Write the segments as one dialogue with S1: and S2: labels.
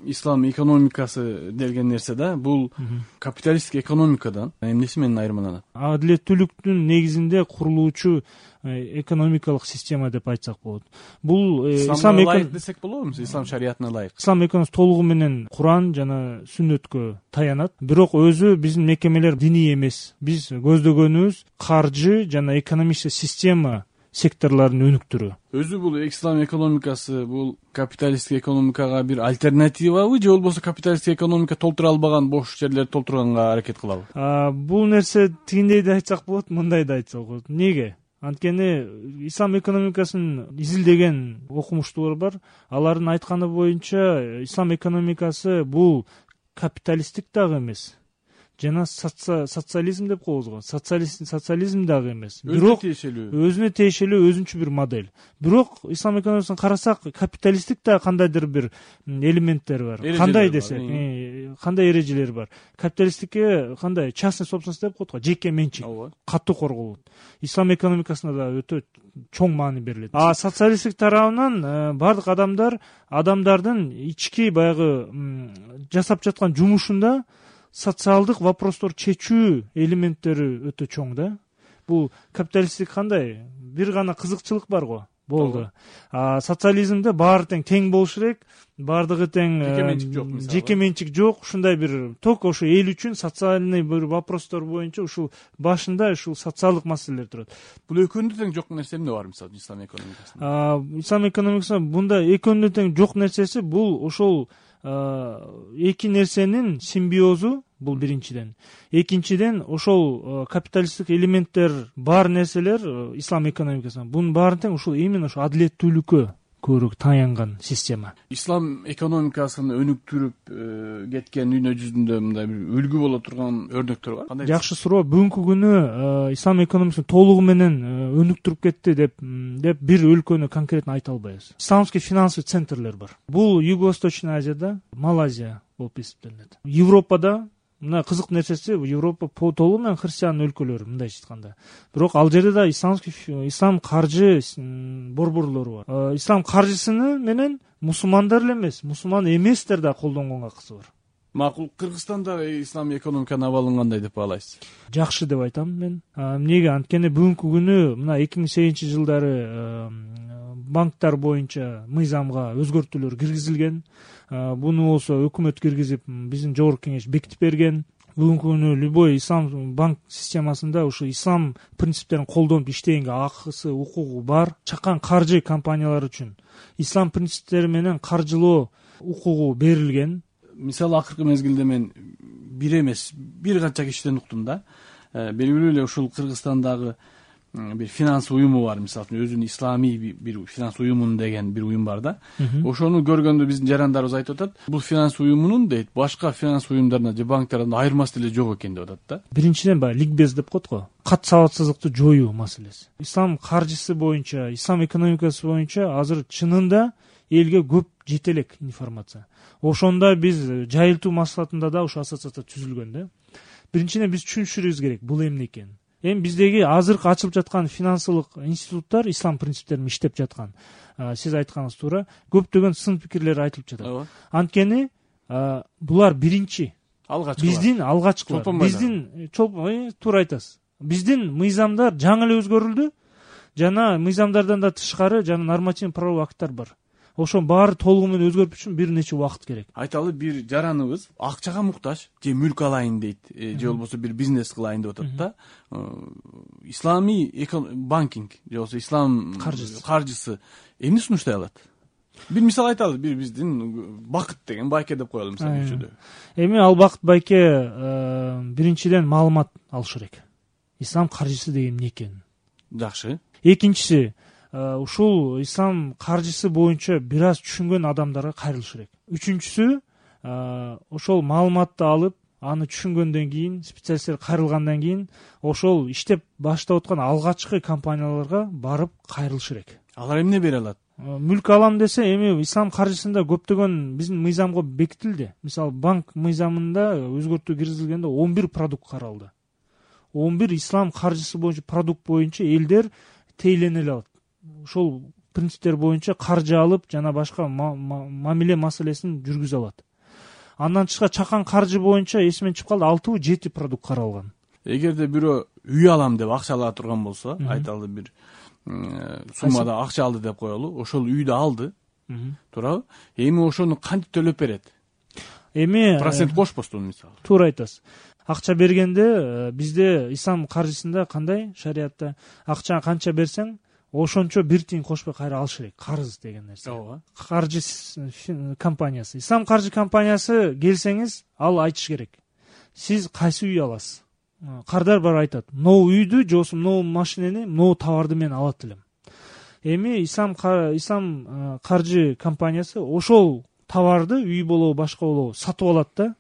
S1: ислам экономикасы деген нерсе да, бул капиталисттик экономикадан эмнеси менен айырмаланат?
S2: Адилеттүүлүктүн негизинде курулуучу экономикалык система деп айтсак болот. Бул
S1: исламга ылайык десек болобу? Ислам шариятына ылайык.
S2: Ислам экономикасы толугу менен Куран жана сүннөткө таянат. Бирок өзү биздин мекемелер диний эмес. Биз көздөгөнүбүз каржы жана экономический система секторлорун өнүктүрүү.
S1: Өзү бул ислам экономикасы бул капиталисттик экономикага бир альтернативабы же болбосо капиталисттик экономика толтура албаган бош жерлерди толтурганга аракет кылабы?
S2: Бул нерсе тигиндей да айтсак болот, мындай да айтсак болот. Неге? Анткени ислам экономикасын изилдеген окумуштуулар бар. Алардын айтканы боюнча ислам экономикасы бул капиталисттик дагы эмес. Жана социализм деп коебуз го. Социализм дагы эмес. Бирок өзүнө тиешелүү өзүнчө бир модель. Бирок ислам экономикасын карасак, капиталисттик да кандайдыр бир элементтер бар. Кандай десек, кандай эрежелер бар. Капиталисттикке кандай частный собственность деп коет го, жеке менчик катуу корголот. Ислам экономикасына да өтө чоң маани берилет. Социалисттик тарабынан бардык адамдардын ички баягы жасап жаткан жумушунда социалдык вопростор чечүү элементтери өтө чоң да. Бул капиталисттик кандай? Бир гана кызыкчылык бар го. Болду. Социализмде баары тең болуш керек, бардыгы тең, жеке менчик жок, ушундай бир только ошо эл үчүн социальный бир вопростор боюнча ушул башында ушул социалдык маселелер турат.
S1: Бул экөөнүндө тең жок нерсе эмне бар мисалы ислам экономикасында?
S2: Ислам экономикасында бунда экөөнүндө тең жок нерсеси бул ошол эки нерсенин симбиозу, бул биринчиден. Экинчиден ошол капиталисттик элементтер бар нерселер ислам экономикасында. Бунун баары тең ушул именно ошо адилеттүүлүккө көбүрөөк таянган система.
S1: Ислам экономикасын өнүктүрүп кеткен дүйнө жүзүндө мындай бир үлгү боло турган өрнөктөр бар. Кандай?
S2: Жакшы суроо. Бүгүнкү күнү ислам экономикасын толугу менен өнүктүрүп кетти деп бир өлкөнү конкретно айта албайбыз. Исламский финансовый центрлер бар. Бул Юго-Восточный Азияда, Малайзия болуп эсептелет. Европада мына кызык нерсеси, Европа толугу менен христиан өлкөлөр мындайча айтканда. Бирок ал жерде да ислам каржы борборлору бар. Ислам каржысыны менен мусулмандар эле эмес, мусулман эместер да колдонгонго акысы бар.
S1: Макул. Кыргызстанда ислам экономиканын абалын кандай деп баалайсыз?
S2: Жакшы деп айтам мен. Эмнеге? Анткени бүгүнкү күнү мына 2008-жылдары банктар боюнча мыйзамга өзгөртүүлөр киргизилген. Буну болсо өкмөт киргизип, биздин жогорку кеңеш бекитип берген. Бүгүнкү күнү любой ислам банк системасында ушу ислам принциптерин колдонуп иштегенге акысы, укугу бар. Чакан каржы компаниялары үчүн ислам принциптери менен каржылоо укугу берилген.
S1: Мисалы акыркы мезгилде мен бир эмес, бир канча кишиден уктум да. Белгилүү эле ушул Кыргызстандагы бир финанс уюму бар, мисалы өзүнүн исламий бир финанс уюмун деген бир уюм бар да. Ошону көргөндө биздин жарандарыбыз айтып атат, бул финанс уюмунун дейт башка финанс уюмдарынан же банктардан айырмасы деле жок экен деп атат да.
S2: Биринчиден баягы ликбез деп коет го, кат сабатсыздыкты жоюу маселеси. Ислам каржысы боюнча, ислам экономикасы боюнча азыр чынында элге көп жете элек информация. Ошондо биз жайылтуу маслихатында да ошо ассоциация түзүлгөн да. Биринчиден биз түшүнүшүбүз керек бул эмне экенин. Эми биздеги азыркы ачылып жаткан финансылык институттар ислам принциптерин иштеп жаткан. Сиз айтканыңыз туура, көптөгөн сын пикирлер айтылып жатат. Анткени булар биринчи, биздин алгачкылар, биздин туура айтасыз. Биздин мыйзамдар жаңы эле өзгөрүлдү, жана мыйзамдардан да тышкары жана нормативный правовой акттар бар. Ошонун баары толугу менен өзгөрүп үчүн бир нече убакыт керек. Айталы,
S1: бир жараныбыз акчага муктаж, же мүлк алайын дейт, же болбосо бир бизнес кылайын деп атат да. Исламий банкинг же болбосо ислам каржысы эмне сунуштай алат? Бир мисал айталы, бир биздин Бакыт деген байке деп коелу мисалы көчөдө.
S2: Эми ал Бакыт байке биринчиден маалымат алыш керек. Ислам каржысы деген эмне экенин.
S1: Жакшы.
S2: Экинчиси, ушул ислам каржысы боюнча бир аз түшүнгөн адамдарга кайрылыш керек. Үчүнчүсү, ошол маалыматты алып, аны түшүнгөндөн кийин, специалисттер кайрылгандан кийин, ошол иштеп баштап аткан алгачкы компанияларга барып кайрылыш керек.
S1: Алар эмне бере алат?
S2: Мүлк алам десе, эми ислам каржысында көптөгөн биздин мыйзамга бекитилди. Мисалы, банк мыйзамында өзгөртүү киргизилгенде 11 продукт каралды. 11 ислам каржысы боюнча продукт боюнча элдер тейлене алат. Ошол принциптер боюнча каржы алып, жана башка мамиле маселесин жүргүзө алат. Андан тышкары чакан каржы боюнча эсимен чыгып калды 6-7 продукт каралган.
S1: Эгерде бирөө үй алам деп акча ала турган болсо, айталы бир суммада акча алды деп коелу, ошол үйдү алды, туурабы? Эми ошону кантип төлөп берет?
S2: Эми
S1: процент кошпостон мисалы.
S2: Туура айтасыз. Акча бергенде бизде ислам каржысында кандай шариатта акча канча берсең, ошончо бир тиын кошпой кайра алыш керек. Карыз деген нерсе.
S1: Ооба.
S2: Каржы компаниясы. Ислам каржы компаниясы келсеңиз, ал айтыш керек. Сиз кайсы үй аласыз? Кардар бар айтат. Могу үйдү, же болбосо могу машинени, могу товарды мен алат элем. Эми ислам каржы компаниясы ошол товарды үй болобу, башка болобу сатып алат да,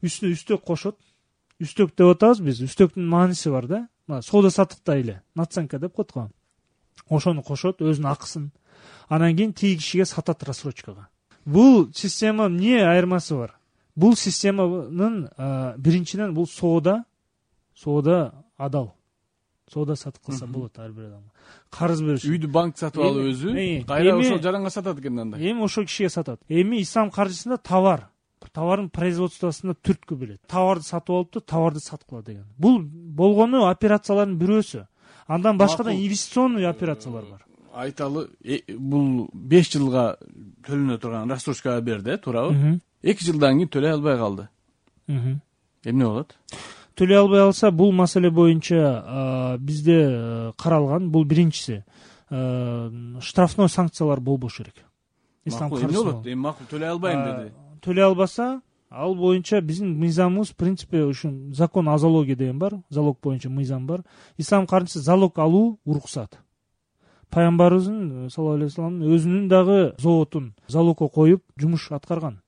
S2: үстүнө үстөк кошот. Үстөк деп атабыз биз. Үстөктүн мааниси бар да. Соода саттыкта эле наценка деп коет го. Ошону кошот, өзүнүн акысын. Анан кийин тиги кишиге сатат рассрочкага. Бул система эмне айырмасы бар? Бул системанын биринчиден бул соода адал. Соода сатып кылса болот ар бир адамга. Карыз бериш.
S1: Үйдү банк сатып алып өзү, кайра ошол жаранга сатат экен анда.
S2: Эми ошол кишиге сатат. Эми ислам каржысында товардын производствосунда түрткү билет. Товарды сатып алыптыр, товарды саткыла деген. Бул болгону операциялардын бирөөсү. Андан башка да инвестиционный операциялар бар.
S1: Айталы бул 5 жылга төлөнө турган рассрочкага берди, туурабы? 2 жылдан кийин төлөй албай калды. Эмне болот?
S2: Төлөй албай алса, бул маселе боюнча бизде каралган, бул биринчиси. Штрафной санкциялар болбошу керек.
S1: Ислам каржысы. Эмне болот? Эми макул төлөй албайм деди.
S2: Төлөй албаса, ал боюнча биздин мыйзамыбыз, в принципе, ушун закон о залоге деген бар, залог боюнча мыйзам бар. Ислам каржысы залог алуу уруксат. Пайгамбарыбыздын саллаллаху алейхи вассаламдын өзүнүн дагы зоотун залогко коюп жумуш аткарган.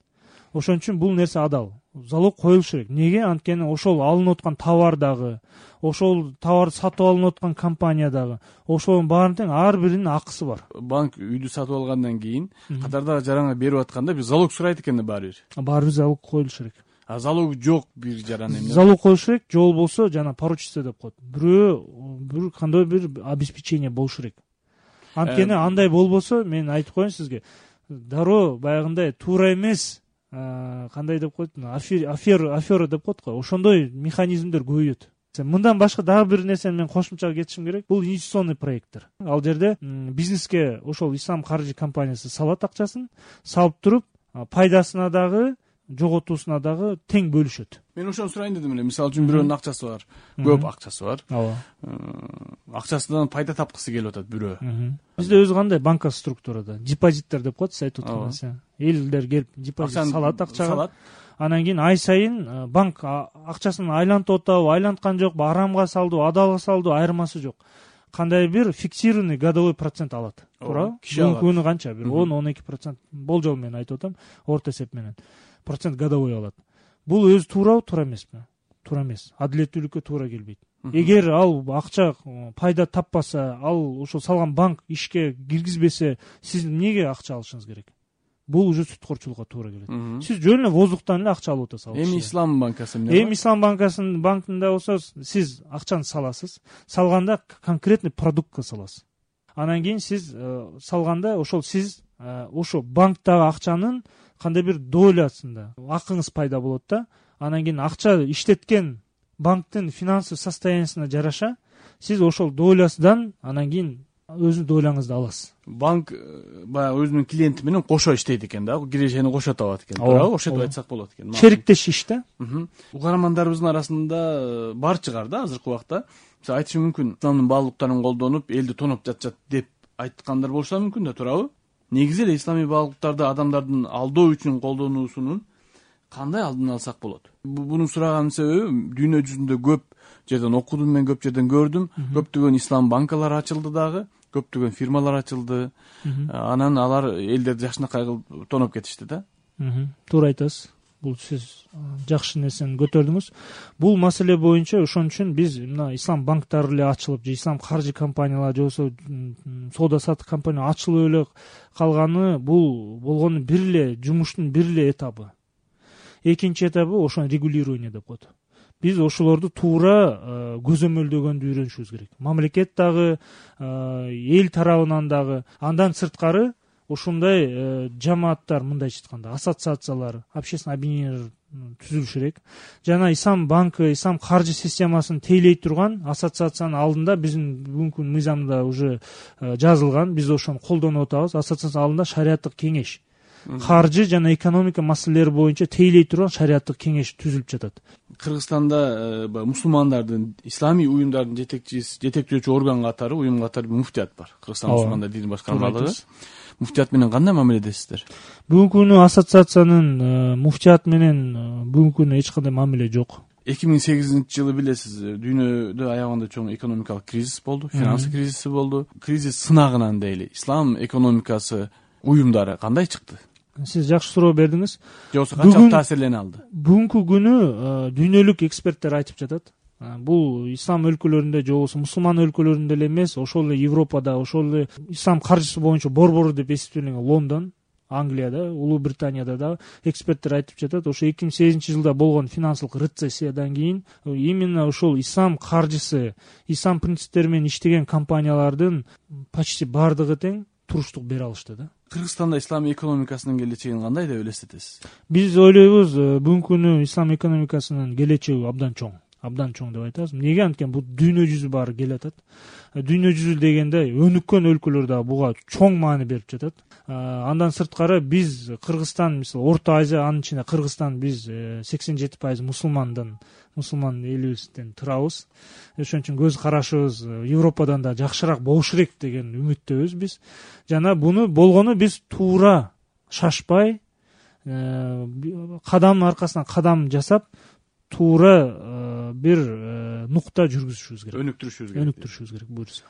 S2: Ошон үчүн бул нерсе адал. Залог коюлуш керек. Неге? Анткени ошол алынып аткан товар дагы, ошол товарды сатып алынып аткан компания дагы, ошонун баарын тең ар биринин акысы бар.
S1: Банк үйдү сатып алгандан кийин катардагы жаранга берип атканда бир залог сурайт экен да баары бир.
S2: Баары бир залог коюлуш керек.
S1: Залог жок бир жаран эмне?
S2: Залог коюш керек, же болбосо жана поручиться деп коет. Бир кандай бир обеспечение болуш керек. Анткени андай болбосо, мен айтып коеюн сизге, дароо баягындай туура эмес, кандай деп коет, афера деп коет го. Ошондой механизмдер көбөйөт. Мындан башка дагы бир нерсени мен кошумча кетишим керек. Бул инвестиционный проекттер. Ал жерде бизнеске ошол ислам каржы компаниясы салат акчасын, салып туруп, пайдасына дагы, жоготуусуна дагы тең бөлүшөт.
S1: Мен ошону сурайын дедим эле. Мисалы үчүн бирөөнүн акчасы бар, көп акчасы бар.
S2: Ооба.
S1: Акчасынан пайда тапкысы келип атат бирөө.
S2: Бизде өзү кандай банка структурада депозиттер деп коет, айтып аткан. Элдер келип депозит салат акчага. Анан кийин ай сайын банк акчасын айлантып атабы, айланткан жокпу, арамга салдыбы, адалга салдыбы, айырмасы жок. Кандай бир фиксированный годовой процент алат. Туура? Күнү канча? Бир 10-12% болжол менен айтып атам, орто эсеп менен. Процент годовой алат. Бул өзү туурабы, туура эмеспи? Туура эмес. Адилеттүүлүккө туура келбейт. Эгер ал акча пайда таппаса, ал ошол салган банк ишке киргизбесе, сиз эмнеге акча алышыңыз керек? Бул уже сүткөрчүлүккө туура келет. Сиз жөн эле воздухтан эле акча алып атасыз.
S1: Эми ислам банкасы эмне?
S2: Эми ислам банкында болсо, сиз акчаны саласыз. Салганда конкретный продуктка саласыз. Анан кийин сиз салганда ошол сиз ошо банктагы акчанын кандай бир долясында акыңыз пайда болот да. Анан кийин акча иштеткен банктын финансовый состояниясына жараша сиз ошол долясынан анан кийин өзүнүн доляңызды аласыз.
S1: Банк баягы өзүнүн клиенти менен кошо иштейт экен да, кирешени кошо табат экен. Туурабы? Ошентип айтсак болот экен.
S2: Шериктеш иш да.
S1: Угармандарыбыздын арасында бар чыгар да азыркы убакта. Мисалы айтышы мүмкүн, исламдын баалуулуктарын колдонуп, элди тоноп жатышат деп айткандар болсо мүмкүн да, туурабы? Негизи эле исламий баалуулуктарды адамдардын алдоо үчүн колдонуусунун кандай алдын алсак болот? Буну сураганын себеби дүйнө жүзүндө көп жерден окудум, мен көп жерден көрдүм. Көптөгөн ислам банкалары ачылды дагы, көптөгөн фирмалар ачылды. Анан алар элдерди жакшынакай кылып тоноп кетишти да.
S2: Туура айтасыз. Бул сиз жакшы нерсени көтөрдүңүз. Бул маселе боюнча ошон үчүн биз мына ислам банктары эле ачылып, же ислам каржы компаниялары, же болбосо соода саттык компания ачылып эле калганы, бул болгону бир эле жумуштун бир эле этабы. Экинчи этабы ошону регулирование деп коет. Биз ошолорду туура көзөмөлдөгөндү үйрөнүшүбүз керек. Мамлекет дагы, эл тарабынан дагы. Андан сырткары ушундай жамааттар, мындайча айтканда ассоциациялар, общественный объединениялар түзүлүш керек. Жана Ислам банкы, Ислам каржы системасын тейлей турган ассоциациянын алдында биздин бүгүнкү мыйзамда уже жазылган, биз ошону колдонуп атабыз. Ассоциациянын алдында шариаттык кеңеш, каржы жана экономика маселелери боюнча тейлей турган шариаттык кеңеш түзүлүп жатат.
S1: Кыргызстанда мусулмандардын, исламий уюмдардын жетектөөчү орган катары, уюм катары муфтият бар. Кыргызстан мусулмандар дини башкармалыгы. Муфтият менен кандай мамиледесиздер?
S2: Бүгүнкү күнү ассоциациянын муфтият менен бүгүнкү күнү эч кандай мамиле жок.
S1: 2008-жылы билесиз, дүйнөдө аягында чоң экономикалык кризис болду, финансы кризиси болду. Кризис сынагынан дейли ислам экономикасы уюмдары кандай чыкты?
S2: Сиз жакшы суроо бердиңиз.
S1: Жоксо канчалык таасирлене алды?
S2: Бүгүнкү күнү дүйнөлүк эксперттер айтып жатат. Бул ислам өлкөлөрүндө же болбосо мусулман өлкөлөрүндө эле эмес, ошол эле Европада, ошол эле ислам каржысы боюнча борбору деп эсептелген Лондон, Англияда, Улуу Британияда да эксперттер айтып жатат. Ошо 2008-жылда болгон финансылык рецессиядан кийин именно ошол ислам каржысы, ислам принциптери менен иштеген компаниялардын почти бардыгы тең туруштук бере алышты да.
S1: Кыргызстанда ислам экономикасынын келечегин кандай деп элестетесиз?
S2: Биз ойлойбуз, бүгүнкү күнү ислам экономикасынын келечеги абдан чоң деп айтабыз. Эмнеге? Анткени бул дүйнө жүзү баары келатат. Дүйнө жүзү дегенде өнүккөн өлкөлөр да буга чоң маани берип жатат. Андан сырткары биз Кыргызстан, мисалы Орто Азия, анын ичинде Кыргызстан, биз 87% мусулман элибизден турабыз. Ошон үчүн көз карашыбыз Европадан да жакшыраак болуш керек деген үмүттөбүз биз. Жана буну болгону биз туура шашпай, кадамдын аркасынан кадам жасап, туура бир нукта жүргүзүшүбүз керек.
S1: Өнүктүрүшүбүз керек
S2: Буюрса.